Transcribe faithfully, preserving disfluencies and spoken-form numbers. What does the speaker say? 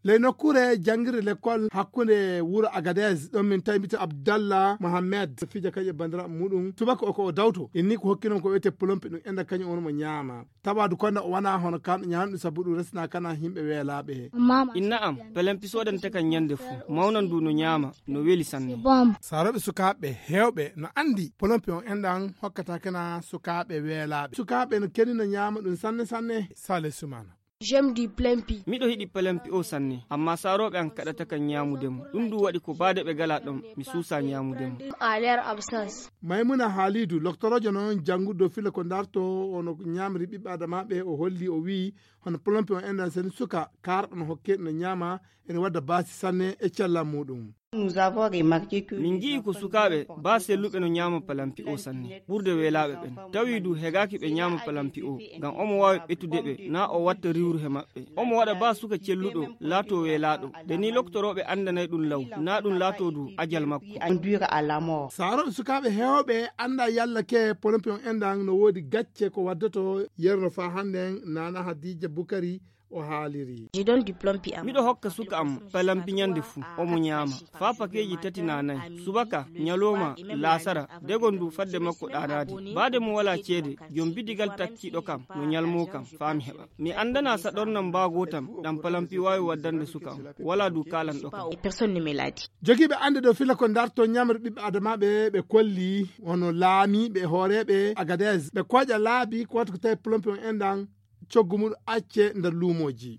Ley nokkuure janngirde lekkol hakkunde wuro Agadez, ɗon min tawi mbiyetee Abdallah Mohamed, fija kañum e banndiraaɓe muɗum. Subaka o ko o dawto, inni ko hokki noon ko wiyetee polompi ɗum enda kañum on mo ñaama. Tabaadu konda o wona hono kam ñaamɗum sabu ɗum resna kana yimɓe weelaaɓe. Inna am, pelempi soodante kan ñande fuu, mawnan du no ñaama, no weli sanne. Saarooɓe sukaaɓe heewɓe no anndi polompi on enɗan hokkata kana sukaaɓe weelaaɓe. Sukaaɓe no keni no ñaama ɗum sanne sanne. Sale Sumana. J'aime du plein pi. Miɗo hiɗi pelempi o sanne, amma saarooɓe an kaɗata kan ñaamude mo. Ɗum du waɗi ko baade ɓe gala ɗon, mi suusa ñaamude mo. À leur absence. Maymuna Haalidu, loktoroojo noon janngude dow filla ko darto ono ñaamri ɓiɓɓe adamaaɓe, o holli o wi'i hono polompi on enɗan seni suka kaarɗo no hokke no ñaama, ene wadda baasi sanne e cellal muɗum. Nous avons remarqué que Min nji'i ko sukaaɓe baa selluɓe no ñaama palampi o sanne ɓurde weelaaɓe ɓen. Tawi du hegaaki ɓe ñaama palampi o, ngam omo waawi ɓetude ɓe, naa o watta riwru he maɓɓe. Omo waɗa baa suka celluɗo laatoo weelaaɗo. Nde nii loktorooɓe anndanay ɗum law, naa ɗum laatoo du ajal makko. Induire à la mort. Saarooɓe sukaaɓe heewɓe annda yalla ke polompi on enɗan no woodi gacce ko waddoto yerno faa hannden Nana Hadija Bukari o haaliri. Je donne du plein pi à Miɗo hokka suka am palampi ñande fuu, omo ñaama faa pakeeji tati naa nay, subaka, ñalooma, laasara, degon du fadde makko ɗaanaade. Baade mo walaa ceede, jom bidigal takkiiɗo kam no ñalmoo kam faa mi heɓa. Mi anndanaa saɗornam mbaagotam ɗam palampi waawi waddande suka am, walaa du kaalanɗo kam. Et personne ne me l'a dit. Jogiiɓe annde dow filla ko darto ñamre ɓiɓɓe adamaaɓe ɓe kolli hono laamiiɓe e hooreeɓe Agadez ɓe kooƴa laabi ko wata ko tawi polompi on enɗan coggu muɗum acce nder luumooji.